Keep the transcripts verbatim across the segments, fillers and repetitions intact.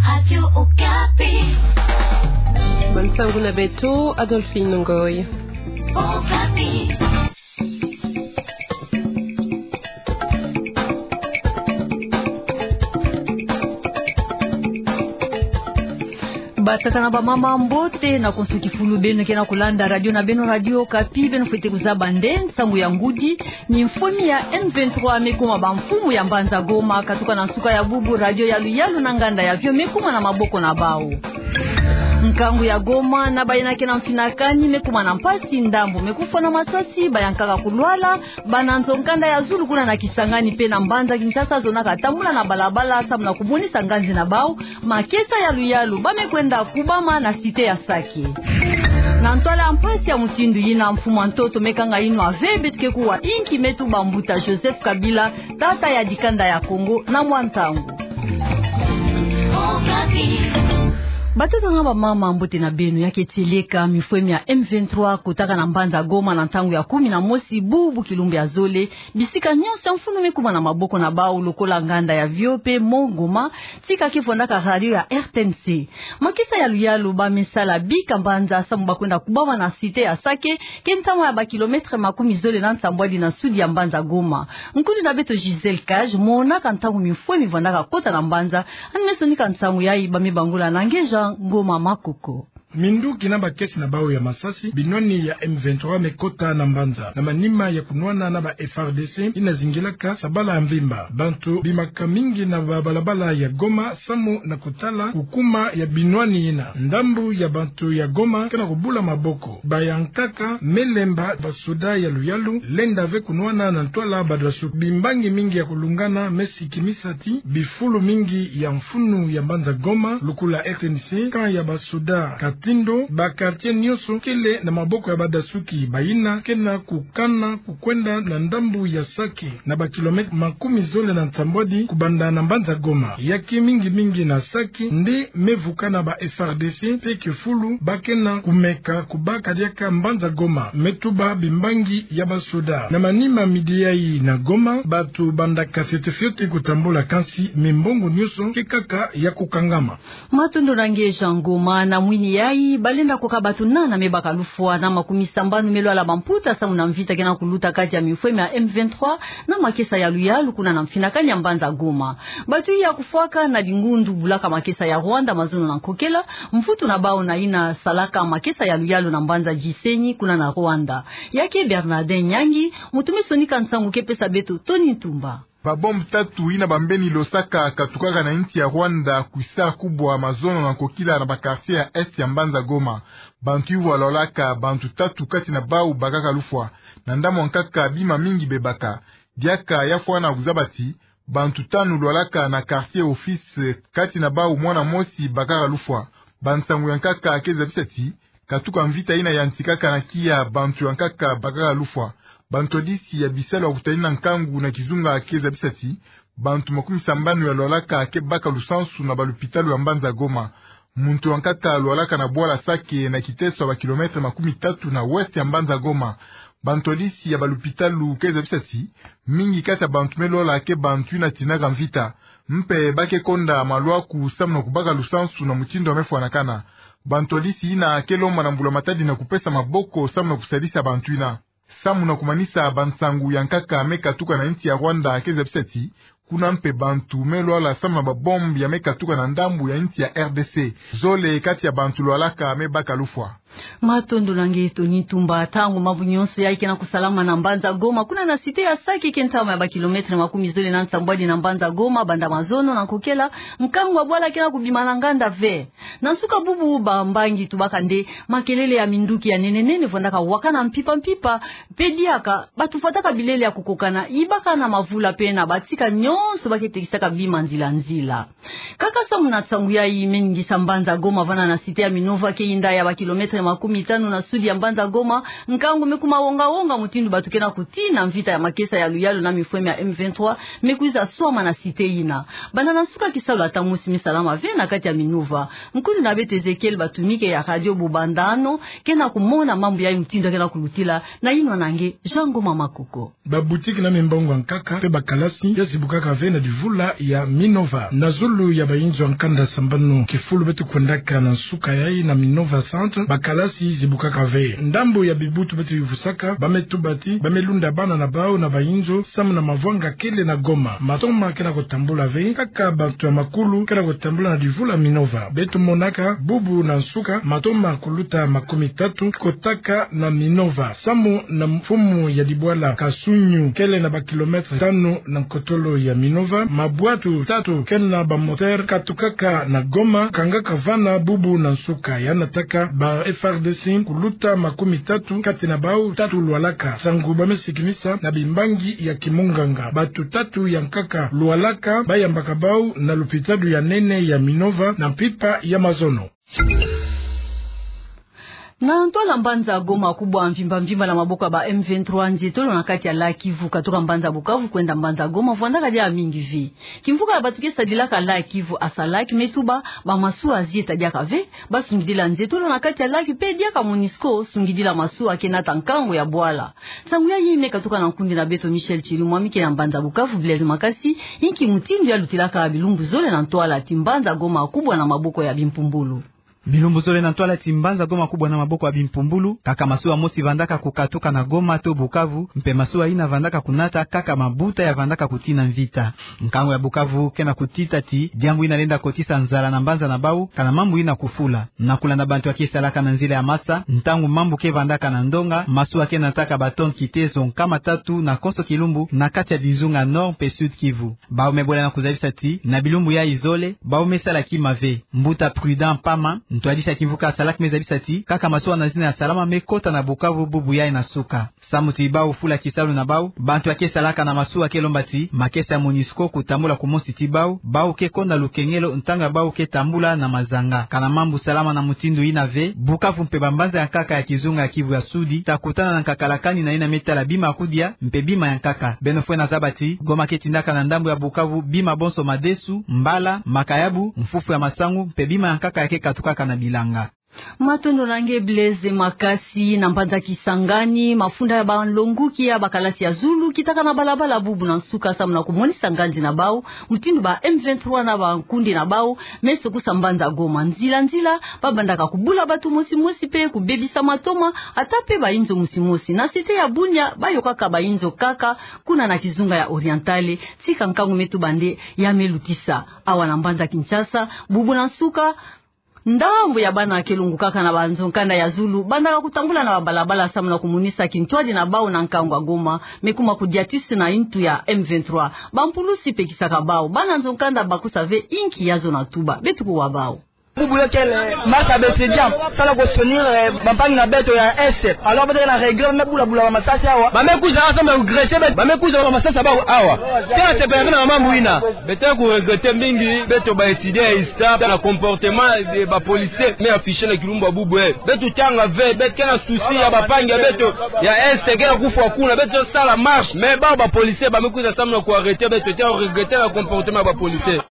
Radio Okapi. Bansangu na beto, Adolphine Ngoy. Okapi. Batata na bamama, mbote na konso kifulu beno ke na kulanda radio na beno, Radio Okapi. Beno fwete kuzaba nde nsangu ya ngudi, mimfwemi ya M vingt-trois me kuma bamfumu ya mbanza Goma, katuka na nsuka ya bubu, radio ya luyalu na nganda ya vio me kuma na maboko na bau. Nkangu ya Goma, na bayina ke na mfinakani, me kuma na mpasi, ndambu me kufwa na masasi, bayankaka kulwala, bana nzo-nkanda ya zulu kuna na Kisangani pe na mbanza Kinshasa zonaka tambula na balabala samu na kumonisa nganzi na bau, makesa ya luyalu ba me kwenda kubama na cité ya Sake. Na ntwala ya mpasi ya mutindu yina, mfumu a ntoto me kanga yinwa ve beto ke kuwa inki, me tuba mbuta Joseph Kabila, tata ya dikanda ya Kongo, na mwa ntangu. Batata na bamama, mbote na beno. Ya ke tieleka, mifwemi ya M vingt-trois kotaka na mbanza Goma na ntangu ya kumi na mosi bubu kilumbu ya zole, bisika nyonso ya mfunu me kuma na maboko na bau, lokola nganda ya vio pe Mont Goma, tika ke vwandaka radio ya R T N C. Makesa ya luyalu ba me sala bika mbanza samu ba kwenda kubama na cité ya Sake, ke ntama ya ba kilomètre makumi zole na nsambwadi na sud ya mbanza Goma. Nkundi na beto Gisèle Cage, monaka ntangu mifwemi vwandaka kota na mbanza, yandi me sonika nsangu yayi ba me bangula na nge Jean Ngoma Makoko. Minduki na bakesi na bau ya masasi, binwani ya M vingt-trois me kota na mbanza. Na manima ya kunwana na ba F A R D C yina zingilaka sabala ya mvimba, bantu bimaka mingi na babalabala ya Goma samu na kutala kukuma ya binwani yina. Ndambu ya bantu ya Goma ke na kubula maboko. Bayankaka me lemba basoda ya luyalu lenda ve kunwana na ntwala badasuki. Bimbangi mingi ya kulungana me sikimisa ti bifulu mingi ya mfunu ya mbanza Goma, lokola R T N C, camp ya basoda Katindo, ba quartier nyonso kele na maboko ya badasuki, bayina ke na kukana kukwenda na ndambu ya Sake, na ba kilomètre makumi zole na nsambwadi kubanda na mbanza Goma. Ya ke mingi mingi na Sake nde me vuka na ba F A R D C, pe kifulu ba ke na kumeka kubaka diaka mbanza Goma, me tuba bimbangi ya basoda. Na manima midi yayi na Goma, bantu bandaka fioti fioti kutambula, kansi mimbongo nyonso ke kaka ya kukangama. Matondo na nge Jean Ngoma. Na mwini yayi, balenda koka bantu nana me baka lufwa, na makumi sambanu me lwala bamputa samu na mvita ke na kuluta kati ya mifwemi ya M vingt-trois na makesa ya luyalu kuna na mfinakani ya mbanza Goma. Bantu ya kufwaka na dingundu bulaka makesa ya Rwanda mazono na nkokela, mvutu na bau na yina salaka makesa ya luyalu na mbanza Gisenyi kuna na Rwanda. Ya ke Bernardin Nyangi, muntu me sonika nsangu, ke pesa beto Tony Ntumba. Ba bombe tatu yina bambeni losaka katukaka na insi ya Rwanda kwisa kubwa mazono na nkokila na ba quartier ya est ya mbanza Goma. Bantu iwa lwalaka, bantu tatu kati na bau bakaka lufwa. Na ndambu ya nkaka bima mingi bebaka. Diaka ya fwana kuzaba ti bantu tanu lwalaka na quartier Office, kati na bau mwana mosi bakaka lufwa. Bansangu ya nkaka ke zabisa ti katuka mvita yina yantikaka na kiya, bantu ya nkaka bakaka lufwa. Bantwadisi ya bisalu ya kutalina nkangu na kizunga ke zabisa ti bantu makumi sambanu ya lwalaka ke baka lusansu na balupitalu ya mbanza Goma. Muntu ya nkaka lwalaka na bwala Sake, na kiteso ya ba kilomètre makumi tatu na ouest ya mbanza Goma. Bantwadisi ya balupitalu ke zabisa ti mingi kati ya bantu me lwala ke bantu yina tinaka mvita. Mpe ba ke konda malwaku samu na kubaka lusansu na mutindu ya me fwanakana. Bantwadisi yina ke lomba na mbula matadi na kupesa maboko samu na kusadisa bantu yina. Samu na kumanisa, bansangu ya nkaka me katuka na insi ya Rwanda ke zabisa ti kuna mpe bantu me lwala samu na ba bombe ya me katuka na ndambu ya insi ya R D C. Zole kati ya bantu lwalaka me baka lufwa. Matondo na nge Tony Ntumba. Ntangu mambu nyonso yayi ke na kusalama na mbanza Goma, kuna na cité ya Sake, ke ntama ya ba kilomètre makumi zole na nsambwadi na mbanza Goma, banda mazono na nkokela, nkangu ya bwala ke na kubima na nganda ve. Na nsuka bubu, bambangi tubaka nde makelele ya minduki ya nene nene vwandaka wakana mpimpa mpimpa, mpe diaka bantu fwataka bilele ya kukokana, yibaka na mavula mpe na batika nyonso ba ke tekisaka bima nzila nzila. Kaka samu na nsangu yayi me ningisa mbanza Goma, vana na cité ya Minova, ke yinda ya ba kilomètre makumi tanu na sud ya mbanza Goma, nkangu me kuma wonga-wonga mutindu bantu ke na kutii na mvita ya makesa ya luyalu na mifweme ya M vingt-trois me kwiza swama na cité yina. Banda na nsuka kisalu ata mosi me salama ve na kati ya Minova. Nkundu na beto Ezekiel Batumike ya Radio Bubandano ke na kumona mambu yayi mutindu ke na kulutila, na yinwa na nge Jean Ngoma Makoko. Baboutique na mimbongo ya nkaka mpe bakalasi ya zibukaka ve na divula ya Minova. Na zulu ya bayinzo ya nkanda sambanu kifulu beto kwendaka na nsuka yayi na Minova Centre, bakalasi zibukaka ve. Ndambu ya bibutu beto yuvusaka, ba me tuba ti ba me lunda bana na bau na bayinzo samu na mavwanga kele na Goma. Matoma ke na kutambula ve, kaka bantu ya makulu ke na kutambula na divula Minova. Beto monaka bubu na nsuka matoma kuluta makumi tatu ke kotaka na Minova, samu na mfumu ya dibwala Kasunyu, kele na ba kilomètre tanu na nkotolo ya Minova. Mabwatu tatu ke na ba moteur katukaka na Goma, kangaka vana bubu na nsuka. Ya nataka ba F R D C kuluta makumi tatu, kati na bau tatu lwalaka. Nsangu ba me sikinisa na bimbangi ya kimunganga. Bantu tatu ya nkaka lwalaka, ba yambaka bau na lupitalu ya nene ya Minova na mpimpa ya mazono. Na ntwala mbanza Goma kubwa mvimba-mvimba na maboko ya ba M vingt-trois, nzietolo na kati ya lac Kivu katoka mbanza Bukavu kwenda mbanza Goma vwandaka diaka mingi ve. Kimvuka ya bantu ke sadilaka lac Kivu, ASALAC, me tuba ba masuwa zieta diaka ve, ba sungidila nzietolo na kati ya lac mpe diaka MONUSCO sungidila masuwa ke nata nkangu ya bwala. Nsangu yayi me katuka na nkundi na beto Michel Chirimwami ke na mbanza Bukavu. Blaise Makasi, inki mutindu ya lutilaka bilumbu zole na ntwala ti mbanza Goma kubwa na maboko ya bimpumbulu? Bilumbu zole na ntwala ti mbanza Goma kubwa na maboko ya bimpumbulu, kaka masuwa mosi vandaka kukatuka na Goma to Bukavu, mpe masuwa yina vandaka kunata kaka mabuta ya vandaka kutii na mvita. Nkangu ya Bukavu ke na kutita ti diambu yina lenda kotisa nzala na mbanza na bau, kana mambu yina kufula. Na kulanda bantu ya ke salaka na nzila ya masa, ntangu mambu ke vandaka na ndonga, masuwa ke nataka ba tonnes kitezo nkama tatu na konso kilumbu na kati ya bizunga Nord mpe Sud Kivu. Bau me bwela na kuzabisa ti na bilumbu yayi zole, bau me sala kima ve. Mbuta Prudent Pama, ntwadisi ya kimvuka ASALAC, me zabisa ti kaka masuwa na zina ya salama me kota na Bukavu bubu yayi na suka. Samu ti bau fula kisalu na bau, bantu ya ke salaka na masuwa ke lomba ti makesa ya MONUSCO kutambula kumosi ti bau, bau ke konda lukengelo ntangu ya bau ke tambula na mazanga. Kana mambu salama na mutindu yina ve, Bukavu mpe bambanza ya nkaka ya kizunga ya Kivu ya Sudi ta kutana na nkakalakani na yina me tala bima ya kudia mpe bima ya nkaka. Beno fwete zaba ti Goma ke tindaka na ndambu ya Bukavu bima bonso: madesu, mbala, makayabu, mfufu ya masangu, mpe bima ya nkaka ya ke katukaka na bilanga. Matondo na nge Blaise Makasi. Na mbanza Kisangani, mafunda ya banlonguki ya bakalasi ya zulu kitaka na balabala bubu na nsuka samu na kumonisa nganzi na bau mutindu ba M vingt-trois na bankundi na bau me sokusa mbanza Goma. Nzila-nzila, ba bandaka kubula bantu mosi-mosi mpe kubebisa matoma, ata mpe bayinzo mosi-mosi. Na cité ya Bunia, ba yokaka bayinzo kaka kuna na kizunga ya Orientale, tika nkangu me tuba nde ya me lutisa. Awa na mbanza Kinshasa, bubu na nsuka, ndambu ya bana ke longukaka na banzo-nkanda ya zulu bandaka kutambula na babalabala samu na kumonisa kintwadi na bau na nkangu ya Goma me kuma kudiatusi na ntu ya M vingt-trois. Bampulusi pekisaka bau. Bana nzo-nkanda bakusa ve inki ya zona tuba. Beto kuwa bau. Bubu yo kele marche ya ba étudiants, samu na kusoutenir, eh, bampangi na beto ya Est. Alors beto ke na regret, ba me bulabula bamasasi awa. Ba me kwiza awa samu na kuagresser beto. Ba me kwiza bamasasi ya bau awa. Tala température na mambu yina. Beto ke kuregretter mingi, beto ba étudiants ya ISTA, na comportement ya ba policiers me afficher na kilumbu ya bubu, eh. Beto tanga ve, beto ke na souci ya bampangi ya beto ya Est ke na kufwa kuna, beto sala marche, mais bau ba policiers ba me kwiza samu na kuarrêter beto, tala regretter na comportement ya ba policiers.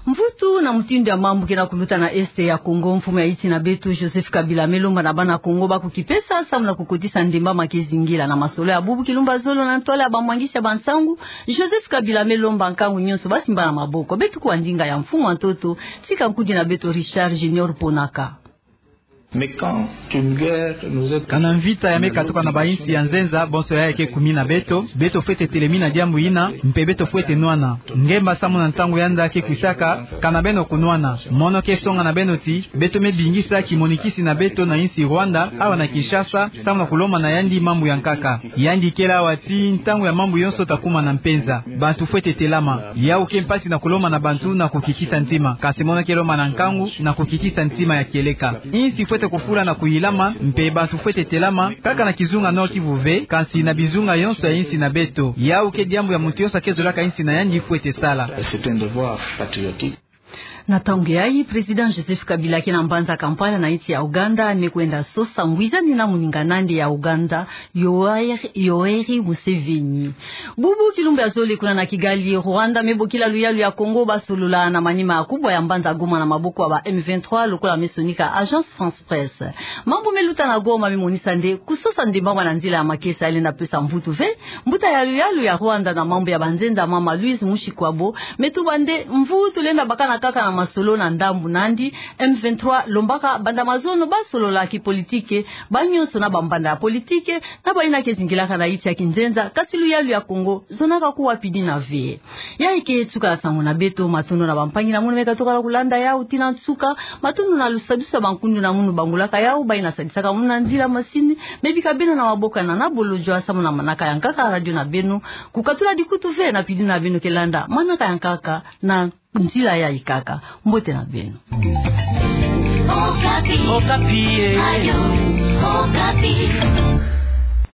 Mvutu na mutindu ya mambu ke na kuluta na Est ya Congo, mfumu ya insi na beto Joseph Kabila me lomba na bana Congo ba kukipesa samu na kukotisa ndemba ma ke zingila. Na masolo ya bubu kilumbu ya zolo na ntwala ya bamwangisi ya bansangu, Joseph Kabila me lomba nkangu nyonso ba simba na maboko. Beto kuwa ndinga ya mfumu ya ntoto, tika nkundi na beto Richard Junior Ponaka. Mais quand une guerre nous est... Kana mvita ya me katuka na bainsi ya nzenza, bonso yayi ke kumina beto, beto fwete telemina diambu yina, mpe beto fwete nwana. Ngemba samu na ntangu yanda ke kwisaka, kana beno kunwana. Mono ke songa na beno ti beto me bingisa kimonikisi na beto na insi Rwanda, awa na Kinshasa, samu na kulomba na yandi mambu ya nkaka. Yandi kele awa ti ntangu ya mambu yonso ta kuma na mpenza. Bantu fwete telama. Yau ke mpasi na kulomba na bantu na kukitisa ntima. Kansi mono ke lomba na nkangu na kukitisa ntima ya kieleka. Insi fwete kufula na kuyilama, mpe bantu fwete telama, kaka na kizunga Nord-Kivu ve, kansi na bizunga yonso ya insi na beto. Yau ke diambu ya muntu yonso ke zolaka insi na yandi fwete sala. C'est un devoir patriotique. Na ntangu yayi, Président Joseph Kabila ke na mbanza Kampala na insi ya Ouganda, me kwenda sosa ngwizani na moningan'andi ya Ouganda, Yoweri, Yoweri Museveni. Bubu kilumbu ya zole kuna na Kigali, Rwanda me bokila luyalu ya Congo ba solola na manima kubwa ya mbanza Goma na maboko ya ba M vingt-trois, lokola me sonika Agence France-Presse. Mambu me luta na Goma me monisa nde kusosa nde mama na nzila ya makesa elenda pesa mvutu ve. Mbuta ya luyalu ya Rwanda na mambu ya banzenza, mama Louise Mushikiwabo, me tuba nde mvutu lenda bakana kaka na masolo na ndambu nandi. M vingt-trois lombaka banda mazono ba solola kipolitike, ba nyonso na bambanda ya politike, na bayina ke zingilaka na insi ya kinzenza, kasi luyalu ya Congo zonaka kuwa pidina ve. Yayi ke nsuka ya nsangu na beto, matondo na bampangi na munu me katukala kulanda yawu tii na nsuka, matondo na lusadusu ya bankundu na munu bangulaka yawu, bayina sadisaka munu na nzila masini, me bika beno na maboko ya nana bolojwa samu na manaka ya nkaka radio na beno, kukatula dikutu ve na pidina beno ke landa manaka ya nkaka na nzila yayi kaka. Mbote na beno. Okapi. Okapi, eh. Radio Okapi.